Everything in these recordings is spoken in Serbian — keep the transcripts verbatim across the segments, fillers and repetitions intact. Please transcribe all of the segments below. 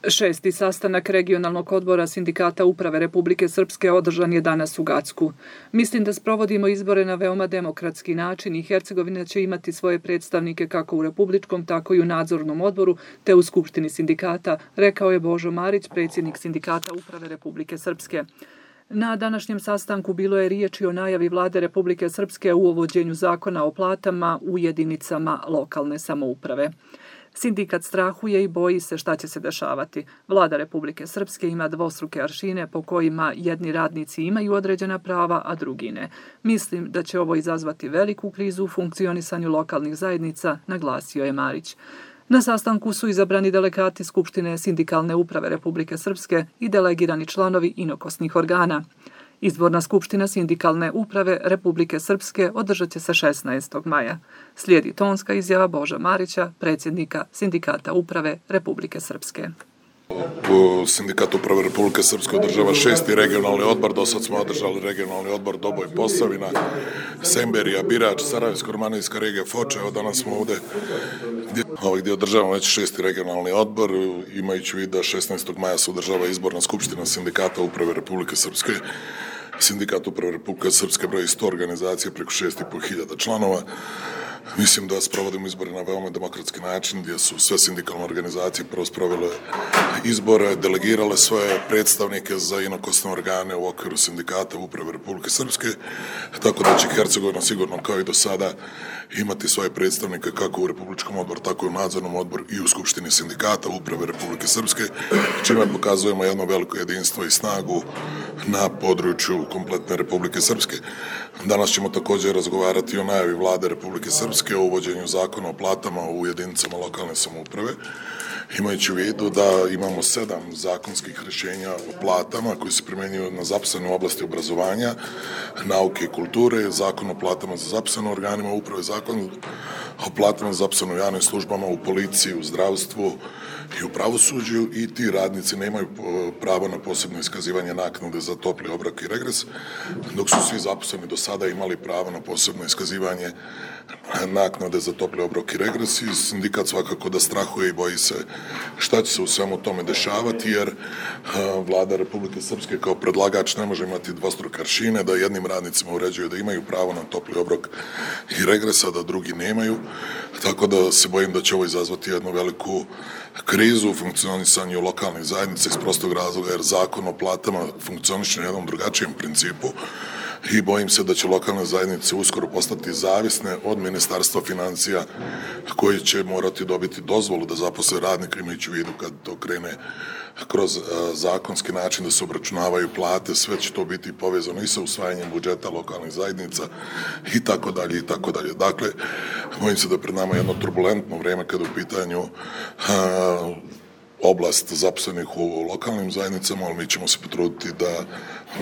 Šesti sastanak regionalnog odbora Sindikata uprave Republike Srpske održan je danas u Gacku. Mislim da sprovodimo izbore na veoma demokratski način i Hercegovina će imati svoje predstavnike kako u Republičkom, tako i u nadzornom odboru, te u Skupštini sindikata, rekao je Božo Marić, predsjednik Sindikata uprave Republike Srpske. Na današnjem sastanku bilo je riječi o najavi Vlade Republike Srpske u uvođenju zakona o platama u jedinicama lokalne samouprave. Sindikat strahuje i boji se šta će se dešavati. Vlada Republike Srpske ima dvostruke aršine po kojima jedni radnici imaju određena prava, a drugi ne. Mislim da će ovo izazvati veliku krizu u funkcionisanju lokalnih zajednica, naglasio je Marić. Na sastanku su izabrani delegati Skupštine Sindikalne uprave Republike Srpske i delegirani članovi inokosnih organa. Izborna skupština Sindikalne uprave Republike Srpske održat će se šesnaestog maja. Slijedi tonska izjava Boža Marića, predsjednika Sindikata uprave Republike Srpske. Sindikat uprave Republike Srpske održava šesti regionalni odbor. Do sad smo održali regionalni odbor Doboj Posavina, Semberija, Birač, Sarajevsko-romanijska regija, Foča. Evo danas smo ovdje gdje, ovaj, gdje održavamo već šesti regionalni odbor, imajući vid da šesnaestog maja se održava izborna skupština Sindikata uprave Republike Srpske. Sindikat uprave Republike Srpske broji sto organizacije preko šest i po hiljada članova. Mislim da sprovodimo izbore na veoma demokratski način, gdje su sve sindikalne organizacije prvo sprovele izbore, delegirale svoje predstavnike za inokosne organe u okviru Sindikata uprave Republike Srpske, tako da će Hercegovina sigurno kao i do sada imati svoje predstavnike kako u Republičkom odboru, tako i u nadzornom odboru i u Skupštini Sindikata uprave Republike Srpske, čime pokazujemo jedno veliko jedinstvo i snagu na području kompletne Republike Srpske. Danas ćemo također razgovarati o najavi Vlade Republike Srpske o uvođenju zakona o platama u jedinicama lokalne samouprave, imajući u vidu da imamo sedam zakonskih rješenja o platama koji se primjenjuju na zaposlene u oblasti obrazovanja, nauke i kulture, zakon o platama za zaposlene u organima uprave, zakon o platama za zaposlene u javnim službama, u policiji, u zdravstvu i u pravosuđu, i ti radnici nemaju pravo na posebno iskazivanje naknade za topli obrok i regres, dok su svi zaposleni do sada imali pravo na posebno iskazivanje naknade za topli obrok i regres, i sindikat svakako da strahuje i boji se šta će se u svemu tome dešavati, jer Vlada Republike Srpske kao predlagač ne može imati dvostruke aršine, da jednim radnicima uređuju da imaju pravo na topli obrok i regres, a da drugi nemaju, tako da se bojim da će ovo izazvati jednu veliku krizu u funkcionisanju lokalnih zajednica iz prostog razloga, jer zakon o platama funkcioniše na jednom drugačijem principu i bojim se da će lokalne zajednice uskoro postati zavisne od Ministarstva financija, koji će morati dobiti dozvolu da zaposle radnika, imajući u vidu kad to krene kroz zakonski način da se obračunavaju plate, sve će to biti povezano i sa usvajanjem budžeta lokalnih zajednica i tako dalje i tako dalje. Dakle, bojim se da pred nama jedno turbulentno vrijeme kada u pitanju a, oblast zaposlenih u lokalnim zajednicama, ali mi ćemo se potruditi da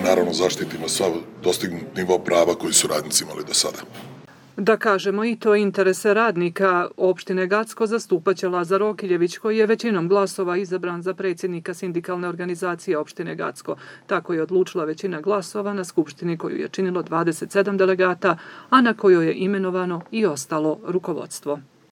naravno zaštitimo sva dostignut nivo prava koji su radnici imali do sada. Da kažemo i to interese radnika opštine Gacko zastupaće Lazar Okiljević, koji je većinom glasova izabran za predsjednika sindikalne organizacije opštine Gacko. Tako je odlučila većina glasova na skupštini koju je činilo dvadeset sedam delegata, a na kojoj je imenovano i ostalo rukovodstvo.